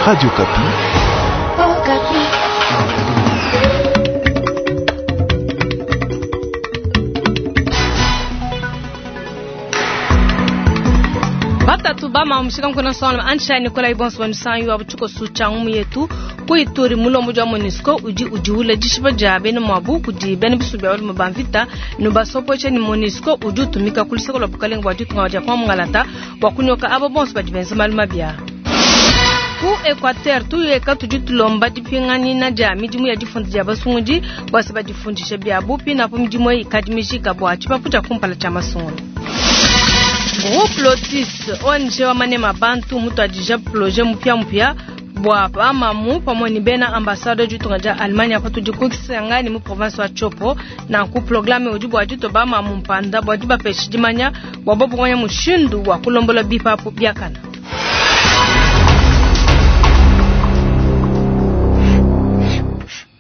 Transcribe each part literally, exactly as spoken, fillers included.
Radio Okapi. Oh, Okapi. Batatu bama mushika nkuna sona ansha Nikolai Bonso wansanyu abuchuko sucha ngumu yetu kuituri mulombo jwa MONUSCO udi udiula dishiba dia bena mwabu kudi bena bisu bya balume ba mvita no basopoche ni MONUSCO udi utumika kuliseko lwa bukalenga bwa ditunga dia kwa mungalata bwa kunyoka abo bonso badi benza malu mabia ku Equateur tuyeka tudi tulomba dipinganina dia midimu ya difunda dia basungudi bwase badifundisha bia bupi napo midimu eyi ikadi mijika bua tshipapu tshia kumpala tshia masungula. Groupe Lotis O N G wa manema bantu mutuadija projet mupia mupia bua bamamu pamwe ni bena ambassadeur ditunga dia Allemagne patudi ku Kisangani mu province wa Tshopo. Nanku programme udi bua dito bamamu mpanda bua dibapesha dimanya bua bobu kumanya mushindu wa kulombola bipapu biakana.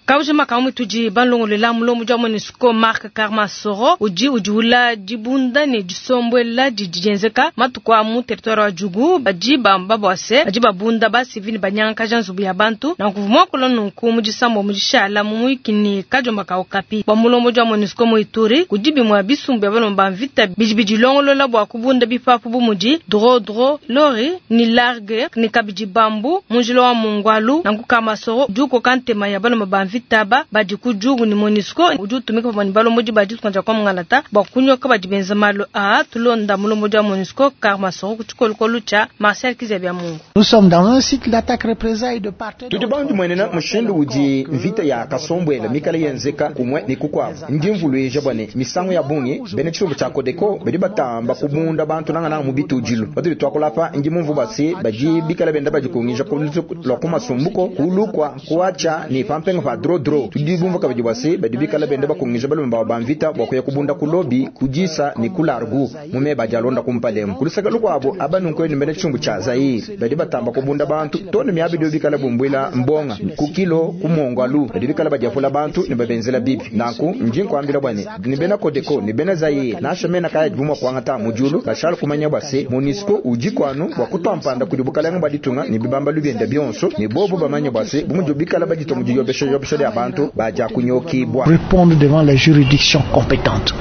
Kaujima kamwe tudi balongolela mulomo jwa MONUSCO Mark Karmasoro udi udiula dibunda ne disombwela didi dienzeka matuku a mu territoire wa Djugu badi bamba bwase badi babunda ba civil banyangakaja nzubu ya bantu na nkuvuma kola nunku mu disambo mu dishala mu muikini kajomba ka Okapi bwa mulombo jwa MONUSCO mu Ituri kudi bimwe bisumbu bya balomba mvita bidi bidilongolola bwa kubunda bipapu bu mudi drodro lori ni largue ni kabidi bambu munjilo wa mungwalu na nkukamasoro juko kantema ya balomba ba mvita taba badi ku Djugu ni MONUSCO udi utumika pamwe ni balombodi ba ditunga dia kwa mungalata bua kunyoka badi benza malu a tulonda mulombodi wa MONUSCO Karmasoro ku tshikolokolo tshia Marcel Kizabia Mungu. Nous sommes dans un cycle d'attaque représailles de part et Tudi bandu mwenena mushindu udi mvita ya kasombwela mikale yenzeka kumwe ni kukwabo ndi mvuluija bwane misango ya bungi bene tshisumbu tshia Codeco badi batamba kubunda bantu nangananga mu bitudilu batudi twakulapa ndi mumvu basi badi bikala benda badikungija lwa ku masumbuko kulukwa kuacha ni pampenga pa drodro tudi bumva kabidi bwase badi bikala benda bakungija balume bawo ba mvita bwa kuya kubunda kulobi kudisa ni kulargu mume badi alonda kumpalemu kulusaka lukwabo abanunku ni bene tshisumbu tshia Zaire badi batamba kubunda bantu tone miabi bikala bumbwila mbonga kukilo kumongwalu badi bikala badiapula bantu ni babenzela bibi nanku nji nkwambila bwane ni bena Codeco ni bena Zaire nasha mena kaya dibumwa kwangata mujulu bashala kumanya bwase MONUSCO udi kwanu bwa kutwampanda kudi bukalenga baditunga ni bibamba lubienda bionso ni bobo bamanya bwase bumuju bikala baditwa mujiyobesha yobesha lya bantu baja kunyokibwa. Répondre devant la juridiction compétente.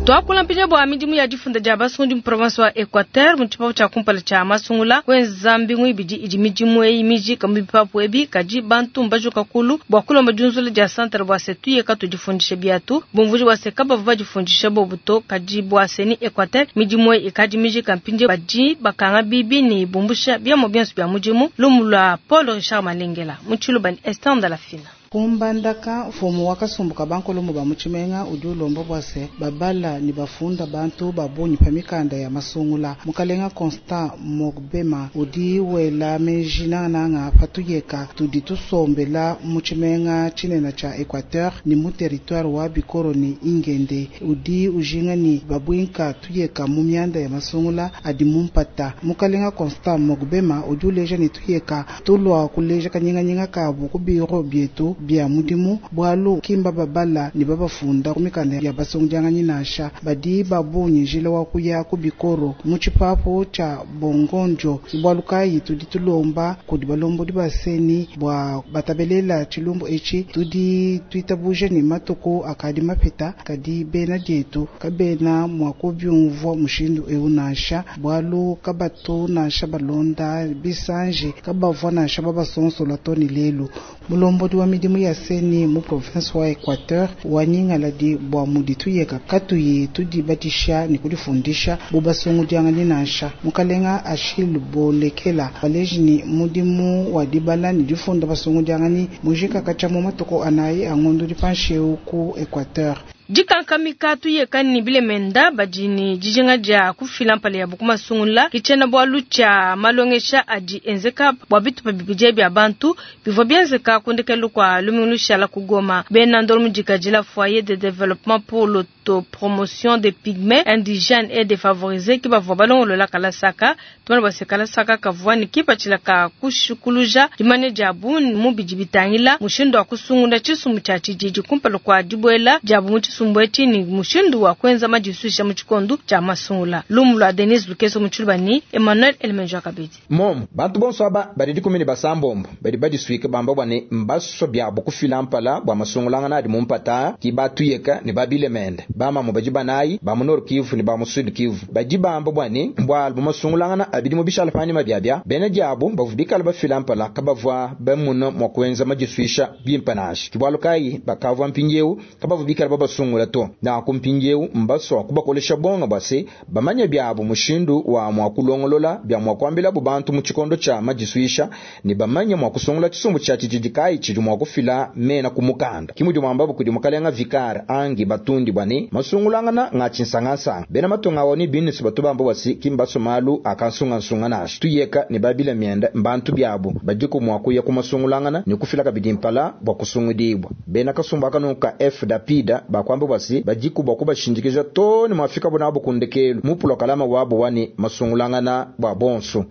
Twakula mpinja bwa midimu ya difunda dia basungu mu province wa Equateur mu tshipapu tshia kumpala tshia masungula kwenza mbingu ibidi idi midimu eyi mijika mu bipapu ebi kadi bantu mbajuka kulu bua kulomba diunzula dia centre bua se tuyeka tudifundishe biatu bumvuji bua se kabavua badifundishe bobu to kadi bua se ni Equateur midimu eyi ikadi mijika mpinja badi bakanga bibi ni bumbusha biamo bionso bia mudimu lumu lua Paul Richard Malengela mu tshiluba ni Esther Ndalafina. Kumbandaka mfumu wakasumbuka bankolomo ba mutshimenga udi ulomba bua se babala ni bafunda bantu babunyi pa mikanda ya masungula. Mukalenga Constant Mogbema udi wela meji nangananga patuyeka tudi tusombela mutshimenga tshinena tshia Equateur ni mu territoire wa Bikoro ni Ingende udi ujinga ni babwinka tuyeka mu mianda ya masungula adi mumpata. Mukalenga Constant Mogbema udi uleja ni tuyeka tulwa kuleja kanyinganyinga kabu ku biro bietu bia mudimu bwalu kimba babala ni babafunda kumikanda ya basungidianganyi nasha badi babunyi njila wa kuya ku bikoro mu tshipapu tshia bongonjo bwalu kayi tudi tulomba kudi balombodi baseni bua batabelela tshilumbu etshi tudi tuitabuje ni matuku akadi mapita kadi bena dietu kabena mua kubiumvua mushindu eu nansha bwalu kabatu nansha balonda bisanji kabavua nansha babasonsola to ni lelu. Mulombodi wa midimu ya seni mu province wa Equateur wanyingaladi bua mudi tuyeka katuyi tudibatisha ni kudifundisha bubasungudianganyi nansha. Mukalenga Achille Bolekela baleji ni mudimu wa dibala ni difunda basungudianganyi mujika katshia mu matuku anayi angondo dipansheu ku Equateur. Dikankamika tuyeka ni bilemenda badi ni dijinga dia kufila mpala ya bukumasungula kitshena bwalu tshia malongesha adi enzeka bua bitupa bibidi bia bantu bivua bienzeka kundekelu kua lumingu lushala ku Goma. Bena ndolo mudikadila foyer de développement pour l'autopromotion des pygmées indigènes et défavorisés ki bavua balongolola kalasaka tumana bua kalasaka kavua ni kipatshila ka kushikuluja dimanya dia bungi mu bidi bitangila mushindu wa kusungula tshisumbu tshia tshididi kumpala kua dibuela dia bu mu tshisumbu etshi ne mushindu wa kuenza madisuisha mu tshikondo tshia masungula. Lumu lua Denise Lukeso mu tshiluba ni Emmanuel Elemenjo kabidi. Momu bantu bonso aba badi dikumi ne basambombo badi badisuike bamba bua ne mbaso biabo kufila mpala bua masungulangana adi mu mpata ki batuyeka ne babilemende bamamu badi banayi ba mu Nord Kivu ne ba mu Sud Kivu badi bamba bua ne mbwalu mu masungulangana abidi mu bishala panyima biabia bena diabo bavu bikala bafila mpala kabavua bamuna mua kuenza madisuisha bimpe nansha kibwalu kayi bakavua mpindieu kabavu bikala babasungula to nanku mpindieu mbasua kubakolesha bonga bua se bamanye biabo mushindu wa mua kulongolola bia mua kuambilabu bantu mu tshikondo tshia madisuisha ne bamanye mua kusungula tshisumbu tshia tshididi kayi tshidi mua kufila mena ku mukanda kimudi mwambabu kudi mukalenga vikar angi batundi bua ne masungulangana nga tshinsangansanga bena matunga awo ni binisi batu bamba bua se kimbaso malu akansungansunga nansha tuyeka ne babila mienda mbantu biabo badiku mua kuya ku masungulangana ne kufila kabidi mpala bua kusungudibwa bena kasumbu akanuka F dapida bakwamba bua se badiku bua kubashindikija to ne mwafika bunabo kundekelu mupulo kalama wabo wani masungulangana bua bonso.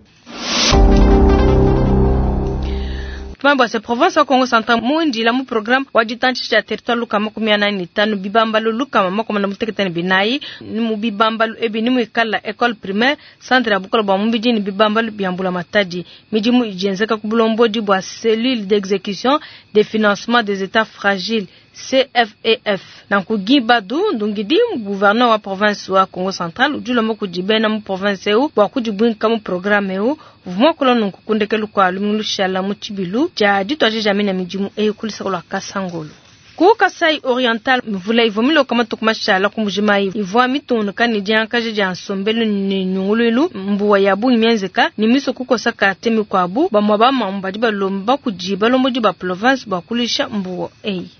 Tumambo se province wa Kongo Central muindila mu programme wa ditantshisha territoire lukama makumi anani ne tanu bibambalu lukama makumi na mutekete ne binayi ni mu bibambalu ebi ni muikala école primaire centre ya bukola bua mubidi ni bibambalu bia mbula matadi midimu ijenzeka ku bulombodi bua cellule d'exécution des financements des états fragiles C F E F. Nanku Guy Bandu Ndungidi gouverneur wa province wa Kongo Central udi kudi bena mu province eu bua kudibwinka mu programme eu vumwa kula nunku kundekelu kwa lumingu lushala mu tshibilu tshia dituaje dia mina midimu eyi kulisaka lua Kasangolo. Ku Kasai Oriental mvula ivua miloka matuku mashala ku Mbujimayi ivua mitungunuka ne diankaja dia nsombelu ne nyunguluilu mbuwa ya bungi mienzeka ne miso kukosa karte mikuabu bamua bamamu badi balomba kudi balombodi ba province bua kulisha mbuwa eyi.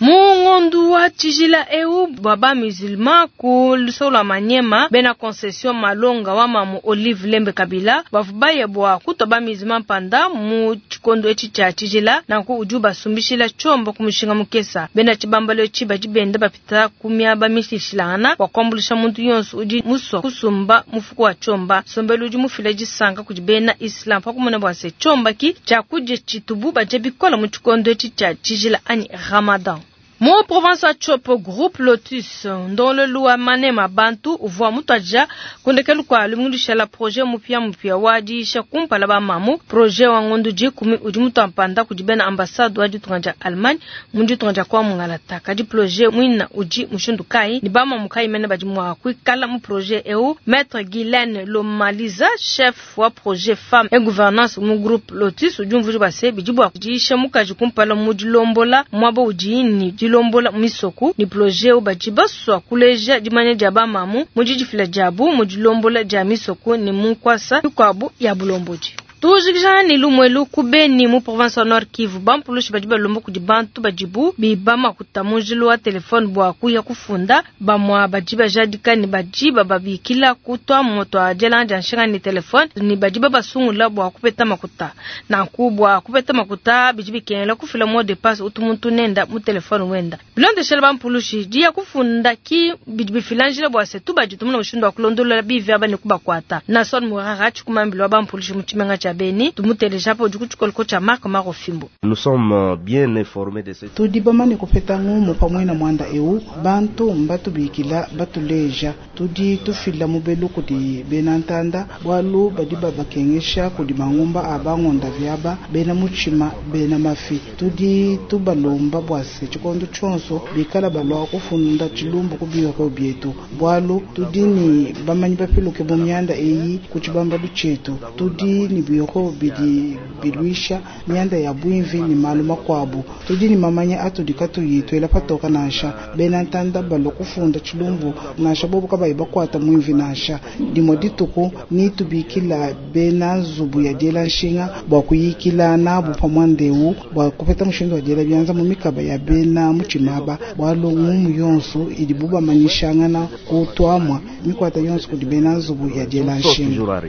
Mu ngondu wa tshijila eu bua ba musulman ku lusolo lua Manyema bena concession malonga wa mamu Olive Lembe Kabila bavu baye bua kutwa ba musulman panda mu tshikondo etshi tshia tshijila nanku udi basumbishila tshomba ku mushinga mukesa bena tshibambalo etshi badi benda bapita ku miaba mishilashilangana bua kuambulisha muntu yonso udi musua kusumba mufuku wa tshomba sombelu udi mufila disanka kudi bena islam pakumona bua se tshomba ki tshiakudia tshitubu badia bikola mu tshikondo etshi tshia tshijila anyi Ramadan. Mu province wa Tshopo groupe Lotus ndongololu wa manema bantu uvua mutuadija kundekelu kua lumingu lushala projet mupia mupia wa diisha kumpala ba mamu projet wa ngondu dikumi udi mutuampanda kudi bena ambassade wa ditunga dia Allemagne mu ditunga dia kwa mungalata kadi projet mwina udi mushindu kayi ni ba mamu kayi mene badi mua kuikala mu projet eu maître Guylaine Lomaliza chef wa projet femme et gouvernance mu groupe Lotus udi umvuija bua se bidi bua diisha mukaji kumpala mu dilombola muaba udi ni dilombola misoku ni projet badi basua kuleja dimanya dia bamamu mu didifila diabu mu dilombola dia misoku ni mu nkwasa mikuabu ya bulombodi. Tujikija ni lumwelu kubeni mu province wa Nord Kivu bampulushi badi balomba kudi bantu badibu biba makuta mu njilu wa telefone bua kuya kufunda bamwa badi bajadika ni badi bababikila kutwa moto a dielanga dia nshinga ni telefone ni badi babasungula bua kupeta makuta nanku bua kupeta makuta bidi bikengela kufila mot de passe utu muntu nenda mu telefone wenda bilondeshela bampulushi diya kufunda ki bidi bifila njila bua se tu badi tumuna mushindu wa kulondolola bivi aba ne kubakuata Nason Murara tshikumambila wa bampulushi mu tshimenga tshia Beni tumuteleja po udi ku tshia Marc Marofimbo. Nous sommes bien informés de ce. Tudi bamane kupeta ngumu pamwe na mwanda eu bantu mbatubikila batuleja tudi tufila mubelu kudi bena ntanda bwalu badi babakengesha kudi mangumba abangonda vyaba bena muchima bena mafi tudi tubalomba bwase tshikondo tshonso bikala balwa kufunda tshilumbu ku biro byetu bwalu tudi ni bamanyi bapiluke mu myanda eyi ku tshibambalu tshietu tudi ni biro bidi bilwisha myanda ya bwimvi ni malu makwabu tudi ni mamanya atudi katuyi twela patoka nansha bena ntanda balwa kufunda tshilumbu nansha bobo kabayi bakwata mwimvi nansha dimo dituku ni tubikila bena nzubu ya diela nshinga bua kuyikila nabu pamwandeu bua kupeta mushindu wa diela byanza mu mikaba ya bena muchimaba bwalu ngumu yonso idi bubamanyishangana kutwamwa mikwata yonso kudi bena nzubu ya diela nshinga.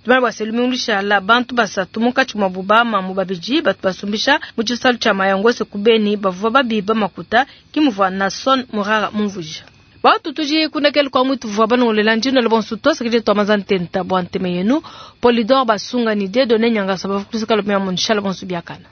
Tumana bua selumingu lushala bantu basatu munkatshi mua bubama mu babidi batu basumbisha mu tshisalu tshia Mayangose ku Beni bavua babiba makuta kimuvua Nason Murara mumvuija. Watu tuji kunekelu kwa mwitu vwa banongolela njino le bonsu to sekije to mazantenta bwa nteme yenu Polidor basunga ni Dieudonné Nyangasa bavukusika lomea munshala bonsu biakana.